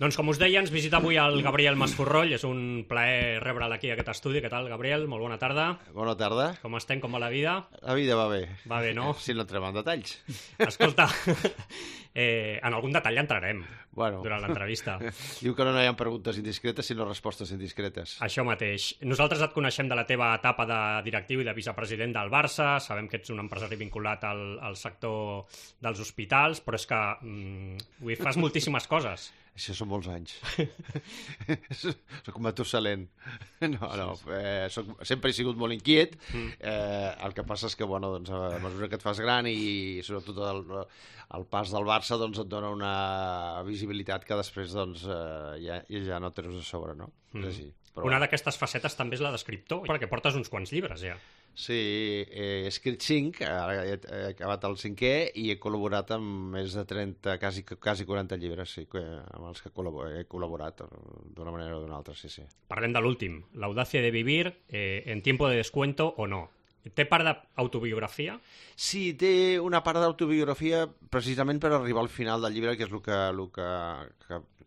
Doncs com us deia, ens visita avui el Gabriel Masforroll. És un plaer rebre'l aquí a aquest estudi. Què tal, Gabriel? Molt bona tarda. Bona tarda. Com estem? Com va la vida? La vida va bé. Va bé, no? Si no entrem en detalls. Escolta, en algun detall entrarem durant l'entrevista. Diu que no hi ha preguntes indiscretes, sinó respostes indiscretes. Això mateix. Nosaltres et coneixem de la teva etapa de directiu i de vicepresident del Barça. Sabem que ets un empresari vinculat al sector dels hospitals, però és que fas moltíssimes coses. Això són molts anys. Soc un Matusalén. Sempre he sigut molt inquiet. El que passa és que, doncs, a mesura que et fas gran i sobretot el pas del Barça et dona una visibilitat que després ja no tens a sobre, no? És així. Una d'aquestes facetes també és la d'escriptor, perquè portes uns quants llibres, ja. Sí, he escrit 5, ara he acabat el 5è i he col·laborat amb més de 30, quasi 40 llibres, sí, amb els que he col·laborat d'una manera o d'una altra, sí. Parlem de l'últim, l'audacia de vivir en tiempo de descuento o no. Té part d'autobiografia? Sí, té una part d'autobiografia precisament per arribar al final del llibre, que és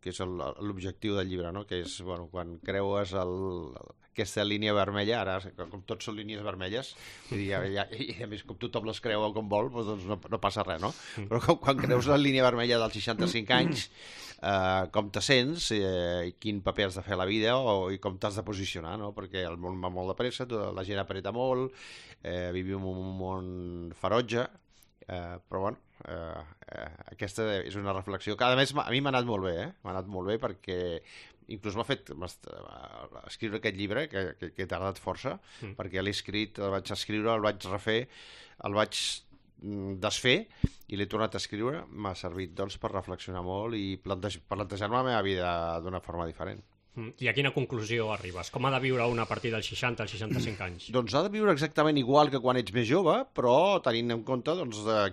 que és l'objectiu del llibre, no? Que és quan creues aquesta línia vermella, ara com tots són línies vermelles, i a més com tothom les creu com vol, doncs no passa res, no? Però quan creus la línia vermella dels 65 anys, com te sents, quin paper has de fer a la vida i com t'has de posicionar, no? Perquè el món va molt de pressa, la gent apreta molt, vivim en un món ferotge, però aquesta és una reflexió que a més a mi m'ha anat molt bé, m'ha anat molt bé perquè inclús m'ha fet escriure aquest llibre que he tardat força, perquè l'he escrit, el vaig escriure, el vaig refer, el vaig desfer i l'he tornat a escriure. M'ha servit per reflexionar molt i plantejar-me la meva vida d'una forma diferent. I a quina conclusió arribes? Com ha de viure una a partir dels 60 als 65 anys? Doncs ha de viure exactament igual que quan ets més jove, però tenint en compte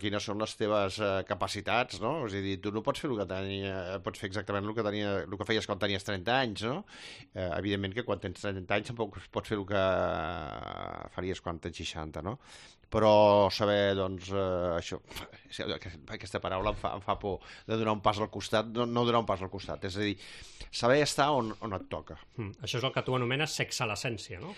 quines són les teves capacitats, no? És a dir, tu no pots fer pots fer exactament el que feies quan tenies 30 anys, no? Evidentment que quan tens 30 anys tampoc pots fer el que faries quan tens 60, no? Però saber, això, aquesta paraula em fa por de donar un pas al costat, no donar un pas al costat, és a dir, saber estar on et toca. Això és el que tu anomenes sexe a l'essència, no?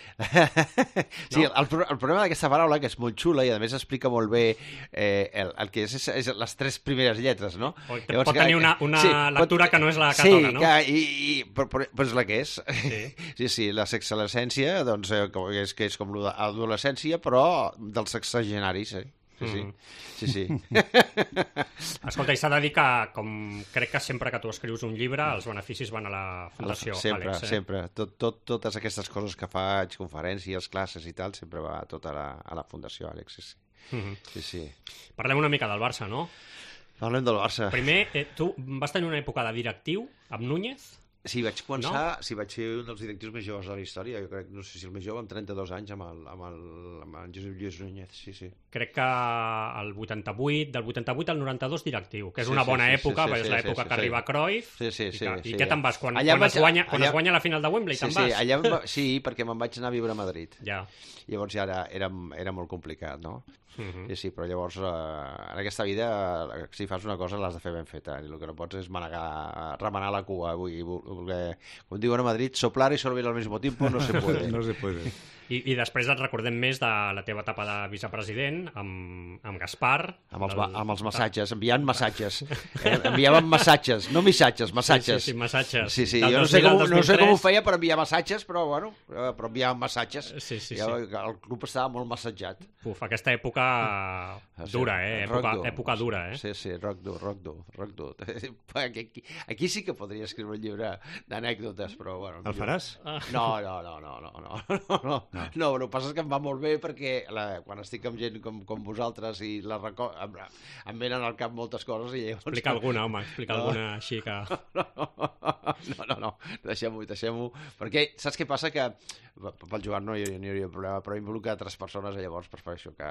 Sí, el problema d'aquesta paraula, que és molt xula i a més explica molt bé el que és les 3 primeres lletres, no? Pot tenir una lectura que no és la que toca, no? Sí, però és la que és. Sí, la sexe a l'essència, que és com l'adolescència, però del sexagenaris, Sí. Escolta, i s'ha de dir que, com crec que sempre que tu escrius un llibre, els beneficis van a la Fundació Àlex. Sempre. Totes aquestes coses que faig, conferències, classes i tal, sempre va tot a la Fundació Àlex, sí. Parlem una mica del Barça, no? Parlem del Barça. Primer, tu vas tenir una època de directiu amb Núñez? Sí, vaig començar, vaig ser un dels directius més joves de la història, jo crec, no sé si el més jove, amb 32 anys, amb el Josep Lluís Núñez, sí. Crec que del 88 al 92 directiu, que és una bona època, perquè és l'època que arriba Cruyff. Sí. I què te'n vas? Quan es guanya la final de Wembley, te'n vas? Sí, perquè me'n vaig anar a viure a Madrid. Ja. Llavors ja era molt complicat, no? Sí, però llavors en aquesta vida si fas una cosa l'has de fer ben feta i el que no pots és remenar la cua, com diuen a Madrid, soplar y sorber al mismo tiempo no se puede. No se puede. I després et recordem més de la teva etapa de vicepresident amb Gaspar. Amb els massatges, enviant massatges. Enviàvem massatges, no missatges, massatges. Sí, massatges. Sí, jo no sé com ho feia per enviar massatges, però enviàvem massatges. Sí. El club estava molt massatjat. Aquesta època dura, època dura, Sí, rock dur. Aquí sí que podria escriure un llibre d'anècdotes, però bueno. El faràs? No, el que passa és que em va molt bé perquè quan estic amb gent com vosaltres i em venen al cap moltes coses i llavors... Explica alguna així que... No, deixem-ho, perquè saps què passa? Que pel Joan no hi hauria problema, però involucra altres persones i llavors prefereixo que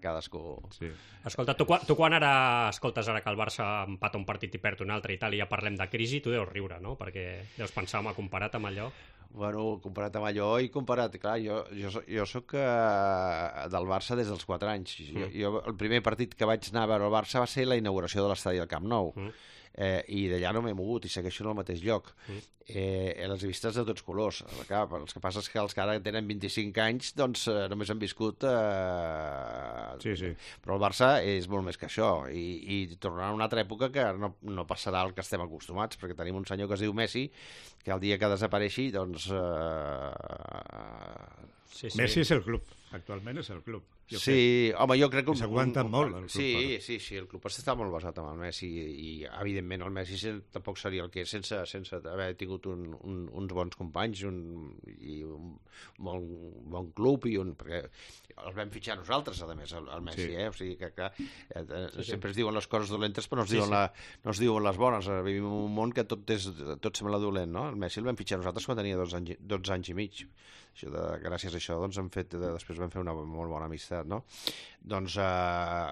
cadascú... Sí. Escolta, tu quan escoltes ara que el Barça empata un partit i perd un altre i tal, i ja parlem de crisi, tu deus riure, no? Perquè deus pensar, home, comparat amb allò... Bueno, comparat amb allò i comparat... Clar, jo soc del Barça des dels 4 anys. Jo, el primer partit que vaig anar a veure el Barça va ser la inauguració de l'estadi del Camp Nou. i d'allà no m'he mogut i segueixo en el mateix lloc. Les he vistes de tots colors. Clar, el que passa és que els que ara tenen 25 anys doncs només han viscut Sí. però el Barça és molt més que això i tornarà a una altra època que no passarà el que estem acostumats, perquè tenim un senyor que es diu Messi que el dia que desapareixi doncs Sí. Messi és el club, actualment és el club. Sí, home, jo crec que... S'aguanta molt el club. Sí, el club està molt basat en el Messi i evidentment el Messi tampoc seria el que és sense haver tingut uns bons companys i un bon club perquè el vam fitxar nosaltres, a més, el Messi, O sigui que sempre es diuen les coses dolentes però no es diuen les bones. Vivim en un món que tot sembla dolent, no? El Messi el vam fitxar nosaltres quan tenia 12 anys i mig. Gràcies a això doncs després vam fer una molt bona amistat, no? Doncs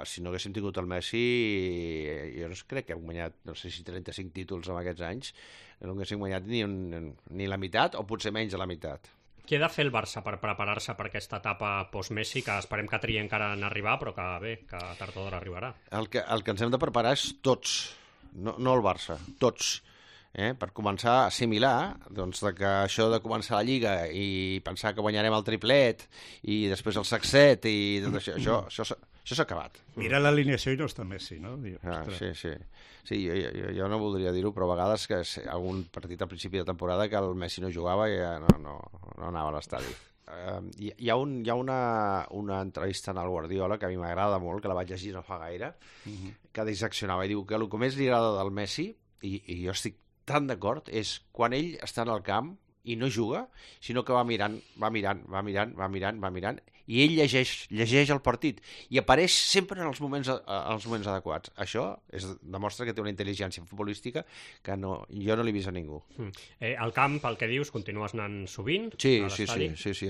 si no haguéssim tingut el Messi jo no crec que hem guanyat no sé si 35 títols en aquests anys, no haguéssim guanyat ni la meitat o potser menys de la meitat. Què ha de fer el Barça per preparar-se per aquesta etapa post-Messi, que esperem que triï encara en arribar, però que tard o d'hora arribarà? El que ens hem de preparar és tots, no el Barça, tots. Per començar a assimilar doncs, que això de començar la Lliga i pensar que guanyarem el triplet i després el sacset i tot això s'ha acabat. Mira l'alineació i no està Messi, no? Sí, jo no voldria dir-ho, però a vegades que algun partit al principi de temporada que el Messi no jugava i no anava a l'estadi. Hi ha una entrevista en el Guardiola que a mi m'agrada molt, que la vaig llegir no fa gaire, que disseccionava i diu que el que més li agrada del Messi, i jo estic tan d'acord, és quan ell està en el camp i no juga, sinó que va mirant, i ell llegeix el partit i apareix sempre en els moments adequats. Això demostra que té una intel·ligència futbolística que jo no l'he vist a ningú. Al camp, el que dius, continues anant sovint? Sí, a l'estadi? Sí, I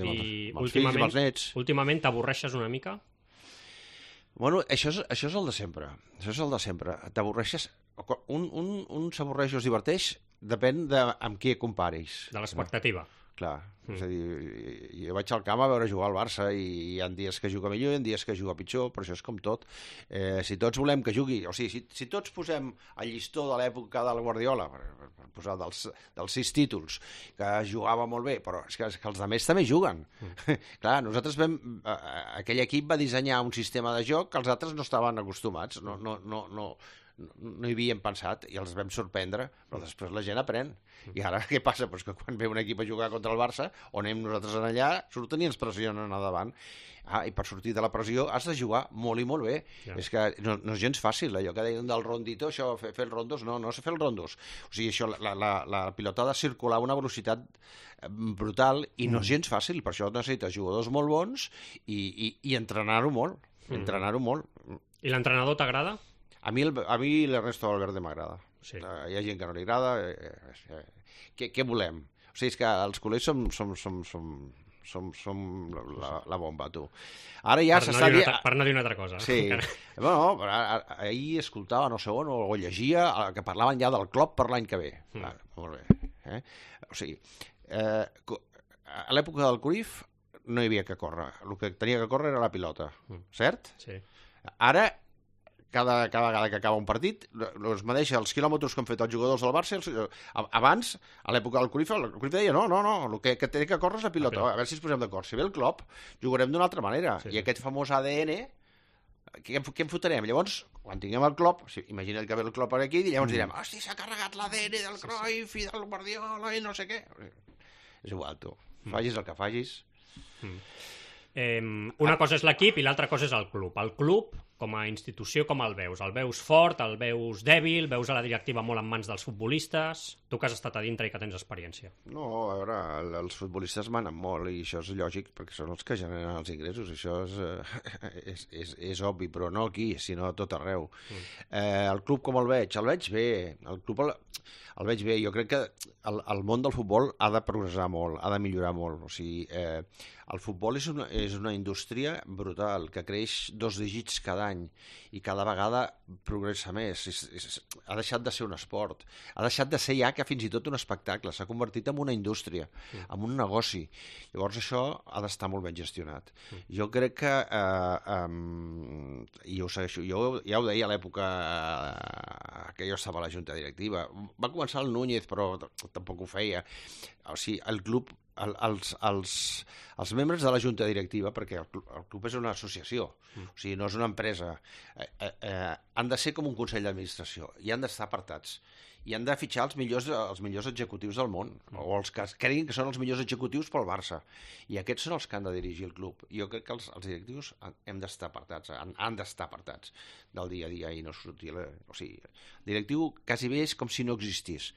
amb els fills, amb els nets. Últimament t'avorreixes una mica? Bueno, això és el de sempre. T'avorreixes... Un s'avorreix o es diverteix, depèn amb qui comparis. De l'expectativa. Clar, és a dir, jo vaig al camp a veure jugar al Barça i hi ha dies que juga millor i hi ha dies que juga pitjor, però això és com tot. Si tots volem que jugui, o sigui, si tots posem el llistó de l'època del Guardiola, per posar dels 6 títols, que jugava molt bé, però és que els altres també juguen. Clar, nosaltres aquell equip va dissenyar un sistema de joc que els altres no estaven acostumats, no hi havíem pensat i els vam sorprendre, però després la gent aprèn. I ara què passa? Pues que quan ve un equip a jugar contra el Barça, on anem nosaltres allà, surten i ens pressionen a davant. I per sortir de la pressió has de jugar molt i molt bé. És que no és gens fàcil, allò que deien del rondito, això, fer els rondos, no sé fer els rondos. O sigui, això, la pilota ha de circular a una velocitat brutal i no és gens fàcil, per això necessites jugadors molt bons i entrenar-ho molt. I l'entrenador t'agrada? A mi l'Ernesto Valverde m'agrada. Sí. Hi ha gent que no li agrada. Què volem? O sigui, és que els culers som la bomba, tu. Ara ja s'està dient... Per no dir una altra cosa. Sí. Bueno, ahir escoltava, no sé on, o llegia que parlaven ja del Klopp per l'any que ve. Molt bé. O sigui, a l'època del Cruyff no hi havia que córrer. El que tenia que córrer era la pilota. Cert? Sí. Ara cada vegada que acaba un partit es medeix els quilòmetres que han fet els jugadors del Barça. Abans, a l'època del Cruyff, el Cruyff deia no, el que té que córrer és la pilota. A veure si ens posem d'acord. Si ve el Klopp, jugarem d'una altra manera. I aquest famós ADN, què en fotrem? Llavors, quan tinguem el Klopp, imagina't que ve el Klopp aquí, i llavors direm, hosti, s'ha carregat l'ADN del Cruyff i del Guardiola i no sé què. És igual, tu. Facis el que facis. Una cosa és l'equip i l'altra cosa és el club. El club, com a institució, com el veus? El veus fort, el veus dèbil, veus a la directiva molt en mans dels futbolistes? Tu que has estat a dintre i que tens experiència. No, a veure, els futbolistes manen molt i això és lògic perquè són els que generen els ingressos. Això és obvi, però no aquí, sinó a tot arreu. El club com el veig? El veig bé. El club el veig bé. Jo crec que el món del futbol ha de progressar molt, ha de millorar molt. O sigui, el futbol és una indústria brutal que creix 2 dígits cada any i cada vegada progressa més. Ha deixat de ser un esport. Ha deixat de ser ja que fins i tot un espectacle. S'ha convertit en una indústria, en un negoci. Llavors això ha d'estar molt ben gestionat. Jo crec que, i jo ho segueixo, jo ja ho deia a l'època que jo estava a la junta directiva. Va començar el Núñez, però tampoc ho feia. O sigui, el club, els membres de la junta directiva, perquè el club és una associació, o sigui, no és una empresa, han de ser com un consell d'administració i han d'estar apartats. I han de fitxar els millors executius del món, o els que creguin que són els millors executius pel Barça. I aquests són els que han de dirigir el club. Jo crec que els directius hem d'estar apartats, han d'estar apartats del dia a dia i no sortir... O sigui, el directiu quasi bé és com si no existís.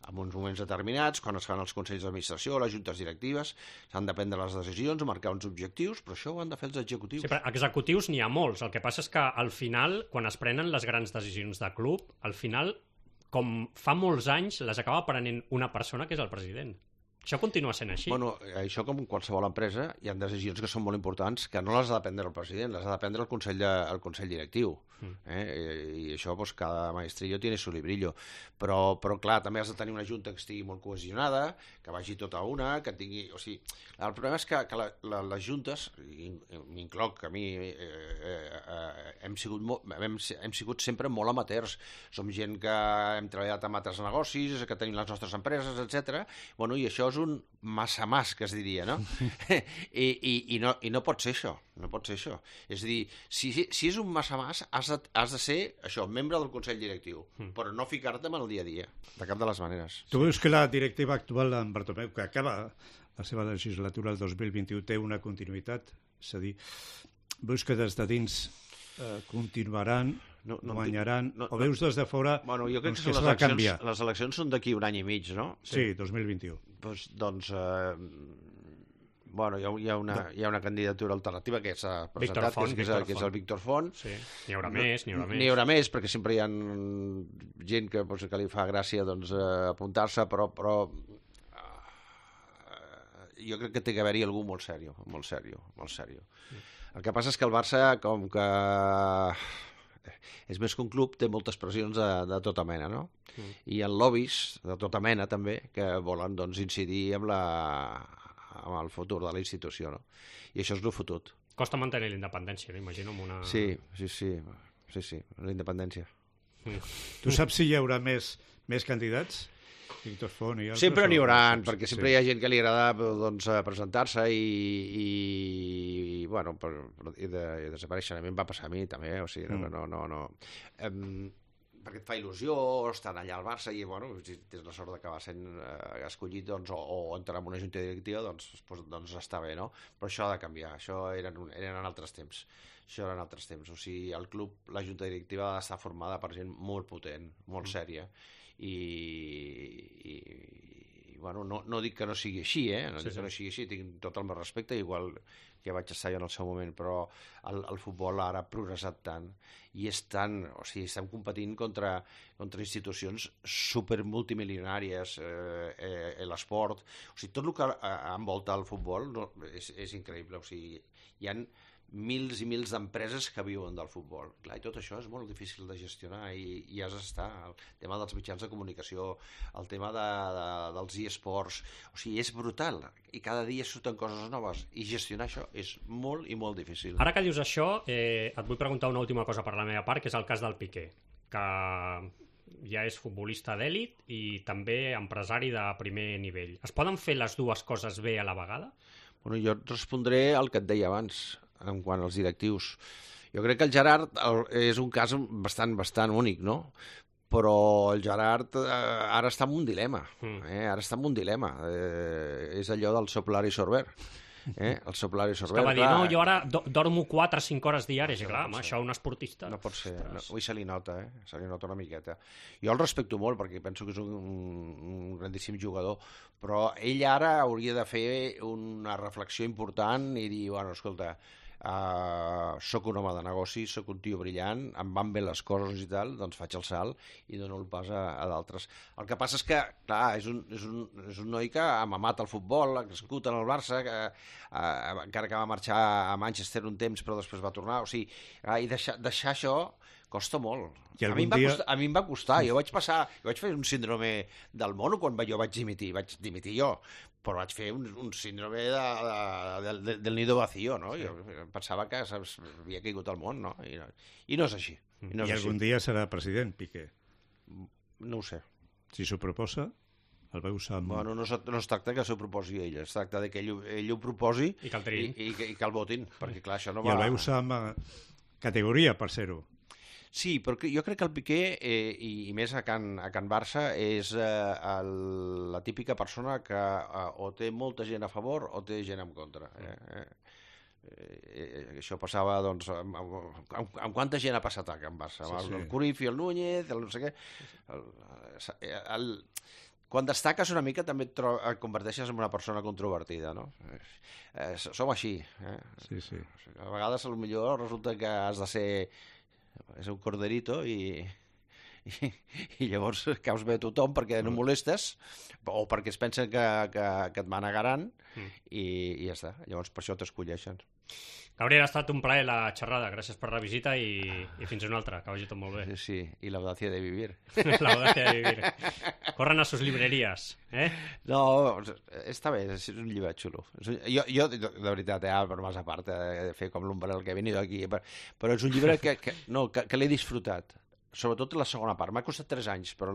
En uns moments determinats, quan es fan els consells d'administració, les juntes directives, s'han de prendre les decisions, marcar uns objectius, però això ho han de fer els executius. Sí, però executius n'hi ha molts. El que passa és que al final, quan es prenen les grans decisions de club, al final, com fa molts anys, les acaba prenent una persona que és el president. Això continua sent així. Bueno, això com en qualsevol empresa, hi ha decisions que són molt importants que no les ha de prendre el president, les ha de prendre el consell directiu. I això, pues, cada maestrillo tiene su librillo. Però clar, també has de tenir una junta que estigui molt cohesionada, que vagi tota una, que tingui... O sigui, el problema és que les juntes, m'incloc, a mi, hem sigut sempre molt amateurs. Som gent que hem treballat amb altres negocis, que tenim les nostres empreses, etc. Bueno, i això és un massa que es diria, no? I no pot ser això, no pot ser això. És a dir, si és un massa has de ser, això, membre del Consell Directiu, però no ficar-te en el dia a dia, de cap de les maneres. Tu veus que la directiva actual d'en Bartomeu, que acaba la seva legislatura el 2021, té una continuïtat? És a dir, veus que des de dins continuaran, guanyaran, o veus des de fora jo crec que s'ha de canviar? Les eleccions són d'aquí un any i mig, no? Sí, 2021. Doncs hi ha una candidatura alternativa que s'ha presentat, que és el Víctor Font. Sí. N'hi haurà més. N'hi haurà més, perquè sempre hi ha gent que li fa gràcia apuntar-se, però jo crec que té que haver-hi algú molt sèrio. El que passa és que el Barça, com que és més que un club, té moltes pressions de tota mena, no? I hi ha lobbies de tota mena, també, que volen incidir amb el futur de la institució, no? I això és el fotut. Costa mantenir la independència, imagino, amb una... Sí, la independència. Tu saps si hi haurà més candidats? Víctor Font i altres? Sempre n'hi haurà, perquè sempre hi ha gent que li agrada presentar-se i desaparèixer. A mi em va passar a mi, també, o sigui, no. Perquè et fa il·lusió, estan allà al Barça i, si tens la sort d'acabar sent escollit o entrar en una junta directiva, doncs està bé, no? Però això ha de canviar, això eren altres temps. O sigui, el club, la junta directiva ha d'estar formada per gent molt potent, molt sèria, i no dic que no sigui així, dic que no sigui així, tinc tot el meu respecte, igual que vaig estar jo en el seu moment, però el futbol ara ha progressat tant i estem competint contra institucions supermultimilionàries, l'esport, o sigui, tot el que envolta el futbol és increïble, o sigui, hi ha mils i mils d'empreses que viuen del futbol. Clar, i tot això és molt difícil de gestionar i has d'estar. El tema dels mitjans de comunicació, el tema dels eSports, o sigui, és brutal. I cada dia surten coses noves. I gestionar això és molt i molt difícil. Ara que dius això, et vull preguntar una última cosa per la meva part, que és el cas del Piqué, que ja és futbolista d'èlit i també empresari de primer nivell. Es poden fer les dues coses bé a la vegada? Jo et respondré el que et deia abans, en quant als directius. Jo crec que el Gerard és un cas bastant únic, no? Però el Gerard ara està en un dilema. És allò del soplar i sorber. El soplar i sorber. Que va dir, jo ara dormo 4 o 5 hores diàries. I clar, això un esportista... No pot ser. Avui se li nota, se li nota una miqueta. Jo el respecto molt perquè penso que és un grandíssim jugador, però ell ara hauria de fer una reflexió important i dir, escolta, soc un home de negoci, soc un tio brillant, em van bé les coses i tal, doncs faig el salt i dono el pas a d'altres. El que passa és que, clar, és un noi que ha mamat el futbol, ha crescut en el Barça, encara que va marxar a Manchester un temps però després va tornar, o sigui, i deixar això costa molt. A mi em va costar. Jo vaig fer un síndrome del mono quan jo vaig dimitir jo, però vaig fer un síndrome del nido vacío, no? Jo pensava que havia caigut al món, no? I no és així. I algun dia serà president, Piqué? No ho sé. Si s'ho proposa, el veus amb... Bueno, no es tracta que s'ho proposi ell, es tracta que ell ho proposi i que el votin, perquè clar, això no va... I el veus amb categoria per ser-ho. Sí, però jo crec que el Piqué, i més a Can Barça, és la típica persona que o té molta gent a favor o té gent en contra. Això passava, doncs, amb quanta gent ha passat a Can Barça? El Cruyff i el Núñez, el no sé què... Quan destaques una mica també et converteixes en una persona controvertida, no? Som així. Sí. A vegades, potser resulta que has de ser... és un corderito i llavors caus bé a tothom perquè no molestes o perquè es pensen que et manegaran i ja està. Llavors per això t'escolleixen. Gabriel, ha estat un plaer la xerrada. Gràcies per la visita i fins una altra. Que vagi tot molt bé. Sí, y la audacia de vivir. La audacia de vivir. Corran a sus librerías, eh? No, està bé, és un llibre xulo. Jo de veritat, bromes a part, de fer com l'Umbrel que he venido aquí, però és un llibre que l'he disfrutat. Sobretot la segona part. M'ha costat 3 anys, però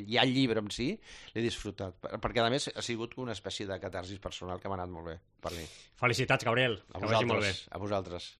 ja el llibre en si l'he disfrutat. Perquè, a més, ha sigut una espècie de catarsis personal que m'ha anat molt bé per mi. Felicitats, Gabriel. Que vagi molt bé. A vosaltres.